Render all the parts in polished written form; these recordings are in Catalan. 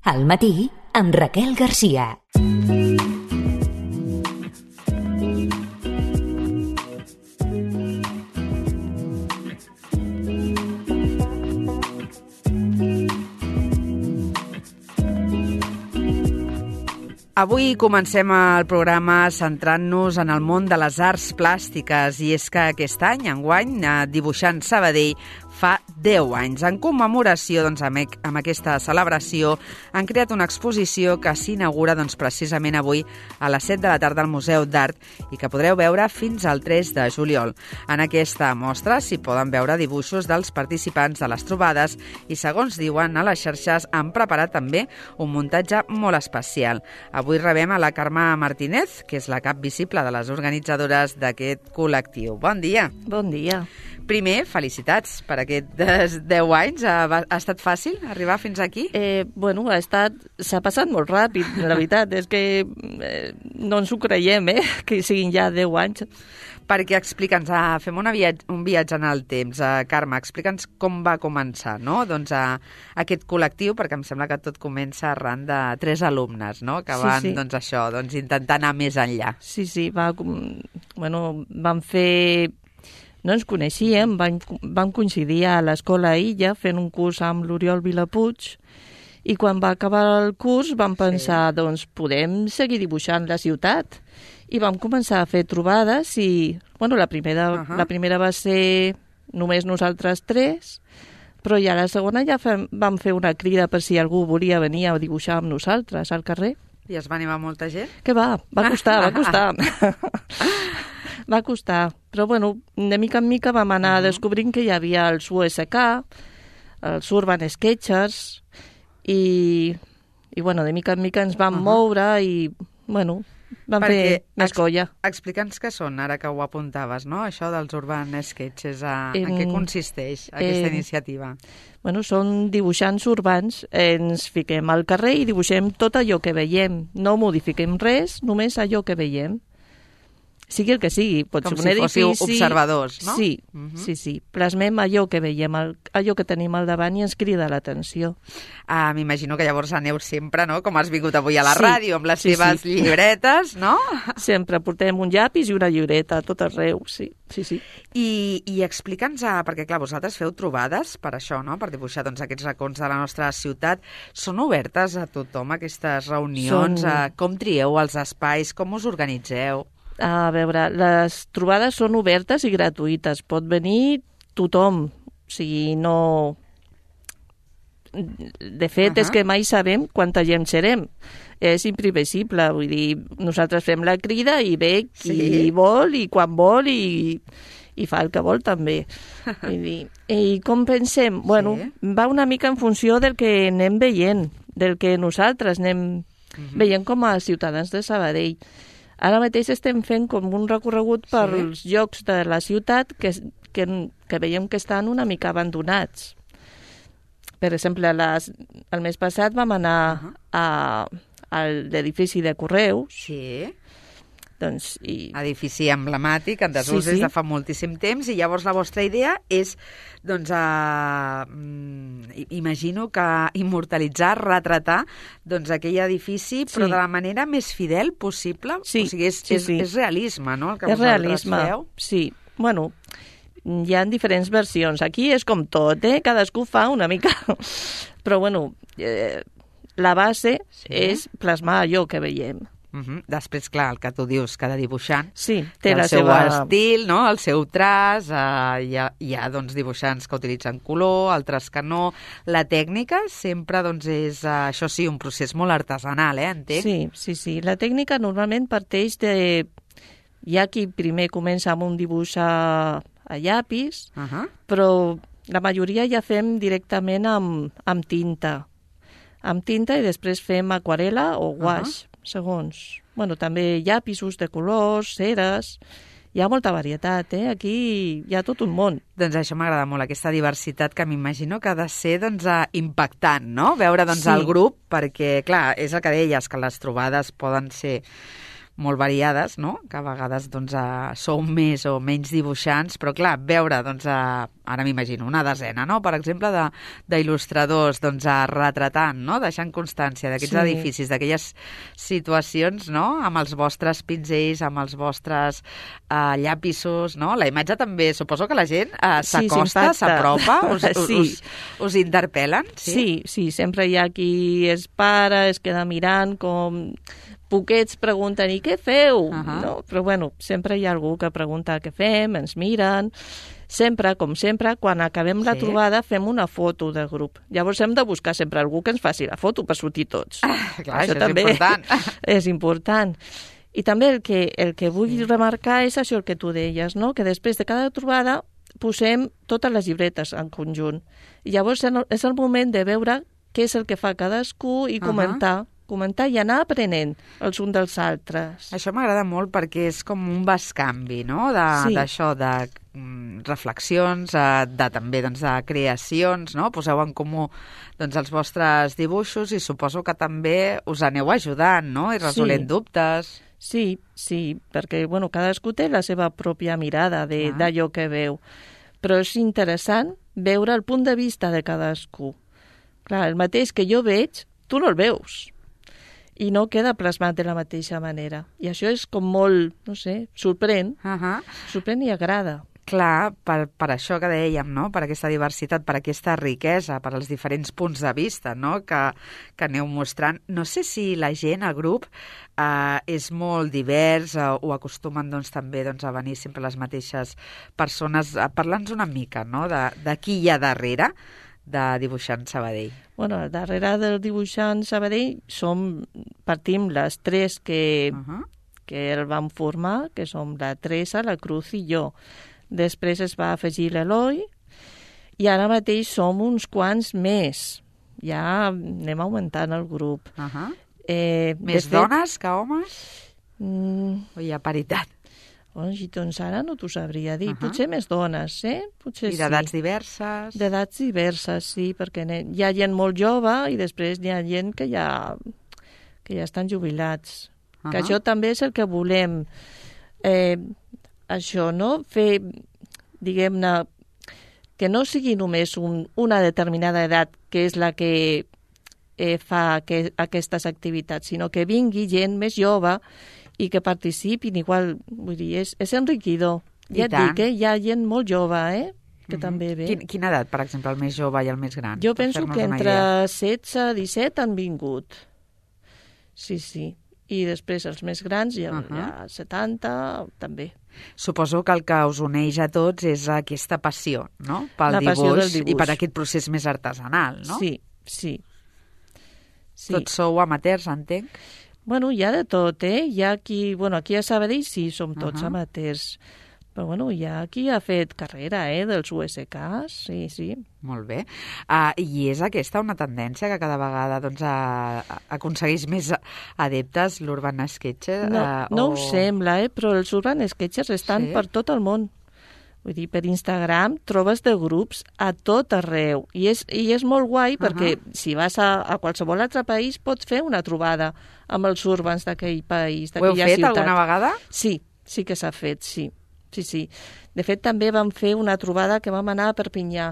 Al matí, amb Raquel Garcia. Avui comencem el programa centrant-nos en el món de les arts plàstiques i és que aquest any, enguany, Dibuixant Sabadell fa 10 anys. En commemoració amb aquesta celebració han creat una exposició que s'inaugura precisament avui a les 7 de la tarda al Museu d'Art i que podreu veure fins al 3 de juliol. En aquesta mostra s'hi poden veure dibuixos dels participants de les trobades i, segons diuen a les xarxes, han preparat també un muntatge molt especial. Avui rebem a la Carme Martínez, que és la cap visible de les organitzadores d'aquest col·lectiu. Bon dia. Bon dia. Primer, felicitats per aquests 10 anys. Ha estat fàcil arribar fins aquí? S'ha passat molt ràpid, la veritat. És que no ens ho creiem, que siguin ja 10 anys. Perquè explica'ns, fem un viatge en el temps. Carme, explica'ns com va començar, no? Doncs aquest col·lectiu, perquè em sembla que tot comença arran de 3 alumnes, no? Que van, intentar anar més enllà. Sí, vam fer... No ens coneixíem, vam coincidir a l'Escola Illa fent un curs amb l'Oriol Vilapuig i quan va acabar el curs vam pensar, podem seguir dibuixant la ciutat. I vam començar a fer trobades i, la primera va ser només nosaltres 3, però ja la segona ja vam fer una crida per si algú volia venir a dibuixar amb nosaltres al carrer. I es va animar molta gent? Que va costar. Va costar, però de mica en mica vam anar descobrint que hi havia els USK, els Urban Sketchers, i de mica en mica ens vam moure i, vam fer més colla. Explica'ns què són, ara que ho apuntaves, no? Això dels Urban Sketchers, en què consisteix aquesta iniciativa? Són dibuixants urbans, ens fiquem al carrer i dibuixem tot allò que veiem, no modifiquem res, només allò que veiem. Sigui el que sigui, pot ser un edifici... Com si fóssiu observadors, no? Sí. Plasmem allò que veiem, allò que tenim al davant i ens crida l'atenció. M'imagino que llavors aneu sempre, no?, com has vingut avui a la ràdio, amb les seves llibretes, no? Sempre portem un llapis i una llibreta a tot arreu, sí. I explica'ns, perquè clar, vosaltres feu trobades per això, no?, per dibuixar aquests racons de la nostra ciutat. Són obertes a tothom, aquestes reunions? Com trieu els espais? Com us organitzeu? A veure, les trobades són obertes i gratuïtes. Pot venir tothom. O sigui, no... De fet, és que mai sabem quanta gent serem. És imprevisible. Vull dir, nosaltres fem la crida i ve qui vol i quan vol i fa el que vol també. Vull dir, i com pensem? Va una mica en funció del que anem veient, del que nosaltres anem veient com a ciutadans de Sabadell. Ara mateix estem fent com un recorregut pels llocs de la ciutat que veiem que estan una mica abandonats. Per exemple, el mes passat vam anar a l'edifici de Correus. Sí. Edifici emblemàtic, en desús des de fa moltíssim temps, i llavors la vostra idea és, imagino que immortalitzar, retratar, aquell edifici, però de la manera més fidel possible. Sí, o sigui, és realisme, no?, el que vosaltres feu. Sí, hi ha diferents versions. Aquí és com tot, cadascú fa una mica. Però, la base és plasmar allò que veiem. Després, clar, el que tu dius, cada dibuixant té el seu estil, no?, el seu traç, hi ha dibuixants que utilitzen color, altres que no. La tècnica sempre és, això sí, un procés molt artesanal, entenc? Sí. La tècnica normalment parteix de... Hi ha qui primer comença amb un dibuix a llapis, però la majoria ja fem directament amb tinta. Amb tinta i després fem aquarela o guaix. Segons. També llapisos de colors, ceres... Hi ha molta varietat, Aquí hi ha tot un món. Doncs això m'agrada molt, aquesta diversitat que m'imagino que ha de ser impactant, no?, veure el grup, perquè, clar, és el que deies, que les trobades poden ser molt variades, no?, que a vegades sou més o menys dibuixants, però clar, veure ara m'imagino, una desena, no? Per exemple, d'il·lustradors, doncs, retratant, no? Deixant constància d'aquests edificis, d'aquelles situacions, no? Amb els vostres pinzells, amb els vostres llapisos, no? La imatge també, suposo que la gent s'acosta, s'apropa, us interpel·len, sí? Sí, sempre hi ha qui es para, es queda mirant, com poquets pregunten, i què feu? No? Però bueno, sempre hi ha algú que pregunta què fem, ens miren. Sempre, com sempre, quan acabem la trobada fem una foto de grup. Llavors hem de buscar sempre algú que ens faci la foto per sortir tots. Clar, això també és important. És important. I també el que vull remarcar és això que tu deies, no? Que després de cada trobada posem totes les llibretes en conjunt. I llavors és el moment de veure què és el que fa cadascú i comentar i anar aprenent els uns dels altres. Això m'agrada molt perquè és com un bescanvi, no? D'això, de reflexions, també de creacions, no? Poseu en comú els vostres dibuixos i suposo que també us aneu ajudant, no? I resolent dubtes. Sí, perquè cadascú té la seva pròpia mirada d'allò que veu. Però és interessant veure el punt de vista de cadascú. Clar, el mateix que jo veig, tu no el veus. I no queda plasmat de la mateixa manera. I això és com molt, no sé, sorprèn. Sorprèn i agrada. Clar, per això que dèiem, no? Per aquesta diversitat, per aquesta riquesa, per els diferents punts de vista, no? Que aneu mostrant. No sé si la gent, el grup, és molt divers o acostumen també a venir sempre les mateixes persones. Parla'ns una mica, no? De qui hi ha darrere de Dibuixant Sabadell. Darrere del Dibuixant Sabadell partim les tres que el vam formar, que som la Teresa, la Cruz i jo. Després es va afegir l'Eloi i ara mateix som uns quants més. Ja anem augmentant el grup. Més dones que homes? O hi ha paritat? Doncs ara no t'ho sabria dir. Potser més dones, Potser I d'edats diverses? D'edats diverses, sí, perquè hi ha gent molt jove i després hi ha gent que ja estan jubilats. Que això també és el que volem. Això, no? Fer, diguem-ne, que no sigui només una determinada edat que és la que fa aquestes activitats, sinó que vingui gent més jove i que participin igual. Vull dir, és enriquidor. Ja et dic, hi ha gent molt jove, que també ve. Quina edat, per exemple, el més jove i el més gran? Jo penso que entre 16 i 17 han vingut. Sí. I després els més grans, ja 70, també. Suposo que el que us uneix a tots és aquesta passió, no? Pel dibuix i per aquest procés més artesanal, no? Sí. Tots sou amateurs, entenc? Hi ha de tot, Hi ha qui... aquí a Sabadell sí, som tots amateurs. Però hi ha qui ha fet carrera, dels USKs, sí. Molt bé. I és aquesta una tendència que cada vegada aconsegueix més adeptes, l'Urban Sketcher? No ho sembla, però els Urban Sketchers estan per tot el món. Vull dir, per Instagram trobes de grups a tot arreu. I és molt guai perquè si vas a qualsevol altre país pots fer una trobada amb els urbans d'aquell país, d'aquella ciutat. Ho heu fet alguna vegada? Sí que s'ha fet, sí. De fet, també vam fer una trobada que vam anar a Perpinyà.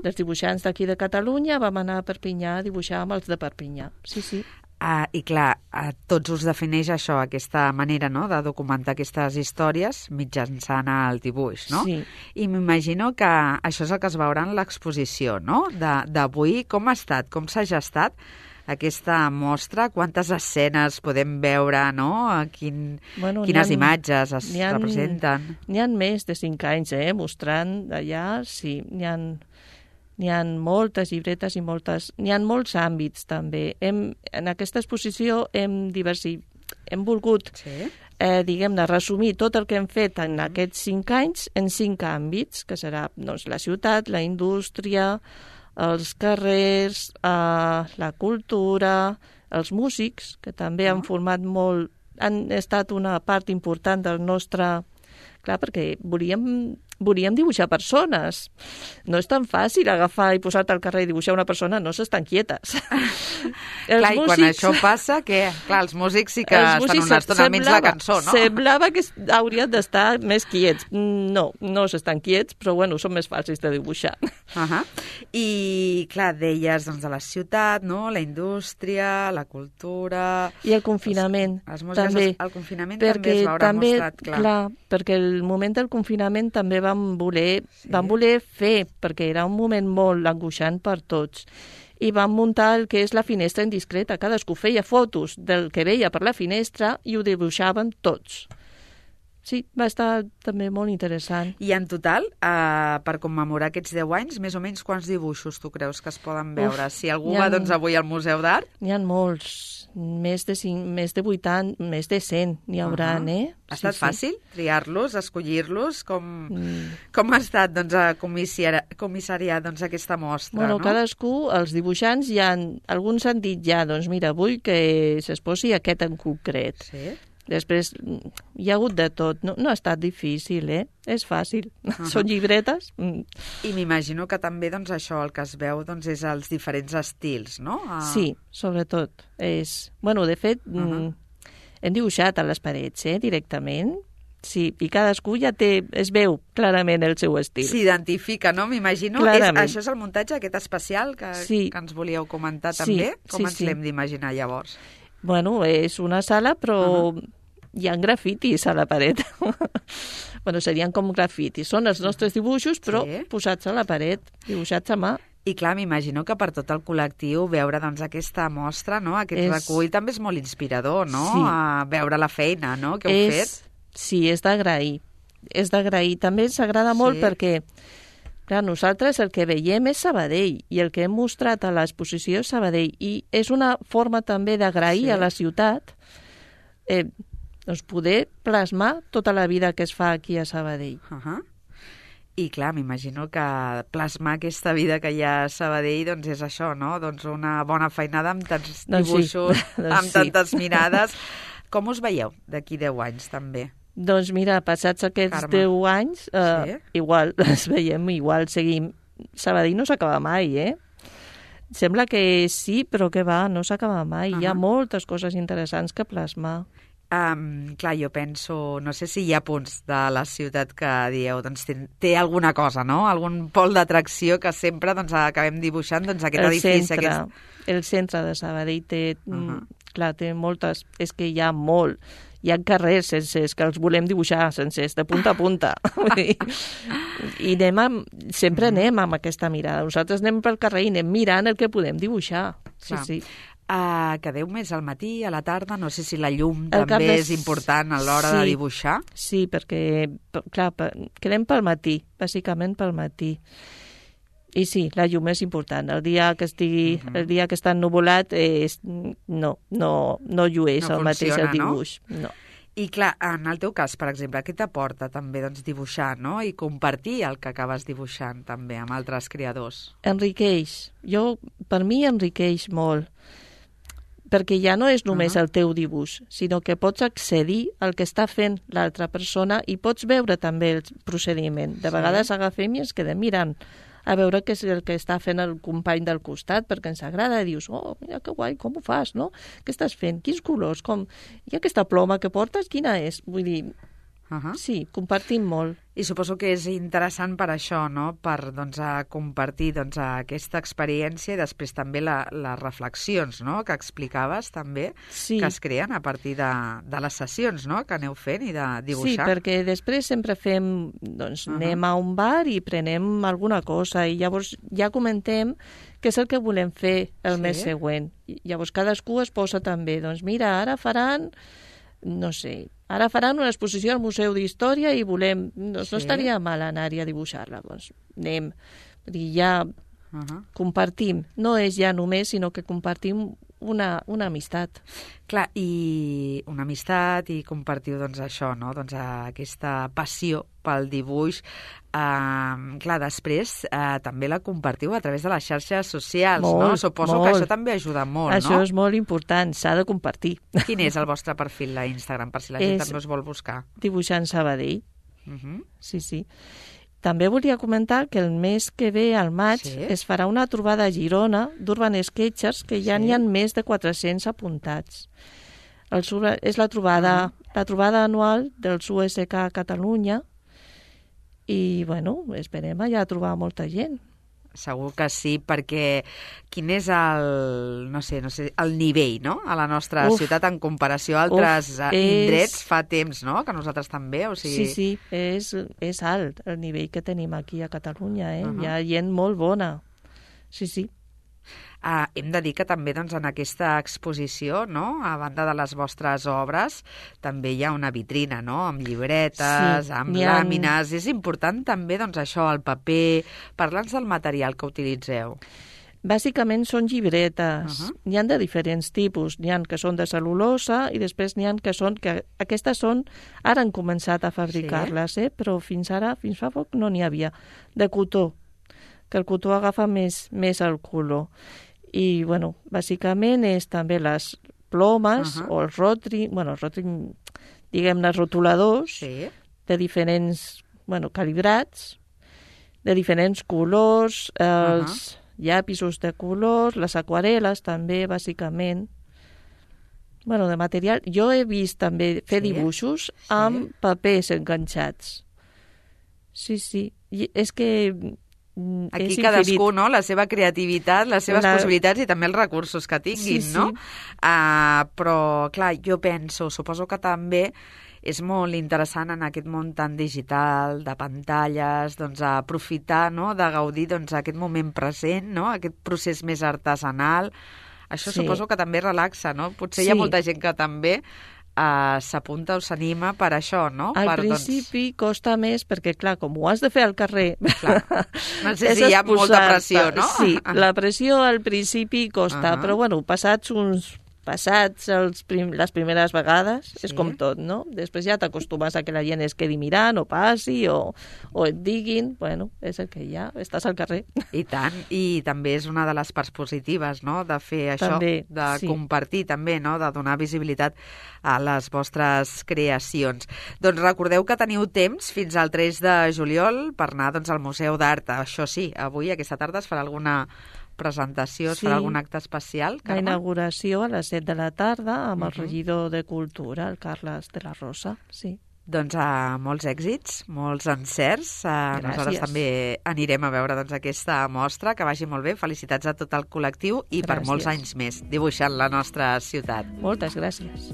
Dels dibuixants d'aquí de Catalunya vam anar a Perpinyà a dibuixar amb els de Perpinyà. Sí. I clar, a tots us defineix això, aquesta manera, no?, de documentar aquestes històries mitjançant el dibuix, no? Sí. I m'imagino que això és el que es veurà en l'exposició, no?, d'avui. Com ha estat? Com s'ha gestat aquesta mostra? Quantes escenes podem veure, no? Quines imatges es representen? N'hi ha més de 5 anys, mostrant allà, sí, n'hi ha moltes llibretes i n'hi ha molts àmbits, també. En aquesta exposició hem volgut, diguem-ne, resumir tot el que hem fet en aquests 5 anys en 5 àmbits, que serà la ciutat, la indústria, els carrers, la cultura, els músics, que també han format han estat una part important del nostre... Clar, perquè volíem volíem dibuixar persones. No és tan fàcil agafar i posar-te al carrer i dibuixar una persona, no s'estan quietes. Clar, i quan això passa, què? Clar, els músics sí que estan una estona almenys la cançó, no? Semblava que haurien d'estar més quiets. No s'estan quiets, però bueno, són més fàcils de dibuixar. I, clar, deies doncs, de la ciutat, no? La indústria, la cultura... I el confinament, els músics, també. El confinament també es veurà mostrat, clar. Clar, perquè el moment del confinament també vam voler fer, perquè era un moment molt angoixant per tots, i vam muntar el que és la finestra indiscreta. Cadascú feia fotos del que veia per la finestra i ho dibuixaven tots. Sí, va estar també molt interessant. I en total, per commemorar aquests 10 anys, més o menys quants dibuixos tu creus que es poden veure? Si algú va doncs, avui al Museu d'Art... N'hi ha molts, més de 80, més de 100 n'hi haurà, Ha estat fàcil triar-los, escollir-los? Com ha estat doncs, comissariar doncs, aquesta mostra? Bueno, no? Cadascú, els dibuixants, alguns han dit doncs mira, vull que s'exposi aquest en concret. Sí. Després hi ha hagut de tot. No ha estat difícil, És fàcil. Són llibretes. I m'imagino que també doncs, això, el que es veu doncs, és els diferents estils, no? Sí, sobretot. Bueno, de fet, hem dibuixat a les parets, directament. Sí, i cadascú ja es veu clarament el seu estil. S'identifica, no? M'imagino. Això és el muntatge, aquest especial que ens volíeu comentar també? Com ens l'hem d'imaginar llavors? Bueno, és una sala, però hi ha grafitis a la paret. Bueno, serien com grafitis. Són els nostres dibuixos, però posats a la paret, dibuixats a mà. I clar, m'imagino que per tot el col·lectiu veure doncs, aquesta mostra, no? Aquest recull també és molt inspirador, no? Sí. A veure la feina, no? Que heu fet. Sí, és d'agrair. És d'agrair. També ens agrada molt perquè... Clar, nosaltres el que veiem és Sabadell i el que hem mostrat a l'exposició és Sabadell i és una forma també d'agrair a la ciutat doncs poder plasmar tota la vida que es fa aquí a Sabadell. I clar, m'imagino que plasmar aquesta vida que hi ha a Sabadell doncs és això, no? Doncs una bona feinada amb tants dibuixos, amb tantes mirades. Com us veieu d'aquí 10 anys també? Doncs mira, passats aquests 10 anys, igual les veiem, igual seguim. Sabadell no s'acaba mai, Sembla que sí, però que va, no s'acaba mai. Hi ha moltes coses interessants que plasmar. Clar, jo penso, no sé si hi ha punts de la ciutat que dieu, doncs té alguna cosa, no? Algun pol d'atracció que sempre doncs, acabem dibuixant, doncs aquest edifici. El centre de Sabadell té, clar, té moltes, és que hi ha molt. Hi ha carrers sencers que els volem dibuixar sencers, de punta a punta. I sempre anem amb aquesta mirada. Nosaltres anem pel carrer i anem mirant el que podem dibuixar. Sí. Quedeu més al matí, a la tarda? No sé si la llum també és important a l'hora de dibuixar. Sí, perquè, clar, quedem pel matí, bàsicament pel matí. I sí, la llum és important. El dia que està ennuvolat no llueix el mateix el dibuix. No. I clar, en el teu cas, per exemple, què t'aporta també doncs, dibuixar, no? I compartir el que acabes dibuixant també amb altres creadors? Enriqueix. Per mi enriqueix molt. Perquè ja no és només el teu dibuix, sinó que pots accedir al que està fent l'altra persona i pots veure també el procediment. De vegades agafem i ens quedem mirant a veure què és el que està fent el company del costat, perquè ens agrada, i dius, mira que guai, com ho fas, no? Què estàs fent? Quins colors? I aquesta ploma que portes, quina és? Vull dir, sí, compartim molt. I suposo que és interessant per això, no? Per compartir aquesta experiència i després també les reflexions, no? Que explicaves també, que es creen a partir de les sessions, no? Que aneu fent i de dibuixar. Sí, perquè després sempre fem, anem a un bar i prenem alguna cosa i llavors ja comentem què és el que volem fer el mes següent. Llavors cadascú es posa també, mira, ara faran una exposició al Museu d'Història i volem... No estaria mal anar-hi a dibuixar-la. Doncs anem. Ja compartim. No és ja només, sinó que compartim una amistat. Clar, i una amistat i compartiu això, no? Doncs aquesta passió pel dibuix. Clar, després també la compartiu a través de les xarxes socials, no? Suposo que això també ajuda molt, no? Això és molt important, s'ha de compartir. Quin és el vostre perfil a Instagram, per si la gent també us vol buscar? Dibuixant Sabadell. Sí. També volia comentar que el mes que ve, al maig, Sí. es farà una trobada a Girona d'Urban Sketchers, que ja n'hi ha més de 400 apuntats. És la trobada anual dels USK a Catalunya i, bueno, esperem allà trobar molta gent. Segur que sí, perquè quin és el nivell, no?, a la nostra ciutat en comparació a altres indrets fa temps, no?, que nosaltres també, o sigui... Sí, és alt el nivell que tenim aquí a Catalunya, Hi ha gent molt bona. Sí. Hem de dir que també doncs, en aquesta exposició, no?, a banda de les vostres obres, també hi ha una vitrina, no?, amb llibretes, amb làmines. És important també doncs, això, el paper. Parla'ns del material que utilitzeu. Bàsicament són llibretes. N'hi ha de diferents tipus. N'hi ha que són de cel·lulosa i després n'hi ha que són... Aquestes són... Ara han començat a fabricar-les, però fins fa poc no n'hi havia. De cotó, que el cotó agafa més el color. I, bueno, bàsicament és també les plomes o els rotring, diguem-ne, els rotuladors de diferents, calibrats, de diferents colors, els llapisos de colors, les aquarel·les també, bàsicament. De material. Jo he vist també fer dibuixos amb papers enganxats. Sí. I és que... Aquí cadascú, no?, la seva creativitat, les seves possibilitats i també els recursos que tinguin, no? Però, clar, jo suposo que també és molt interessant en aquest món tan digital, de pantalles, doncs aprofitar, no?, de gaudir aquest moment present, no?, aquest procés més artesanal. Això suposo que també relaxa, no? Potser hi ha molta gent que també s'apunta o s'anima per això, no? Al principi costa més perquè, clar, com ho has de fer al carrer... Clar. No sé si hi ha molta pressió, no? Sí, la pressió al principi costa, però, passats les primeres vegades, és com tot, no? Després ja t'acostumes a que la gent es quedi mirant o passi o et diguin, és el que hi ha, estàs al carrer. I tant, i també és una de les parts positives, no?, de fer això, compartir també, no?, de donar visibilitat a les vostres creacions. Doncs recordeu que teniu temps fins al 3 de juliol per anar al Museu d'Art. Això sí, avui, aquesta tarda, es farà alguna presentació, es farà algun acte especial, Carme? La inauguració a les 7 de la tarda amb el regidor de Cultura, el Carles de la Rosa, sí. Doncs molts èxits, molts encerts. Nosaltres també anirem a veure aquesta mostra, que vagi molt bé. Felicitats a tot el col·lectiu i per molts anys més, dibuixant la nostra ciutat. Moltes gràcies.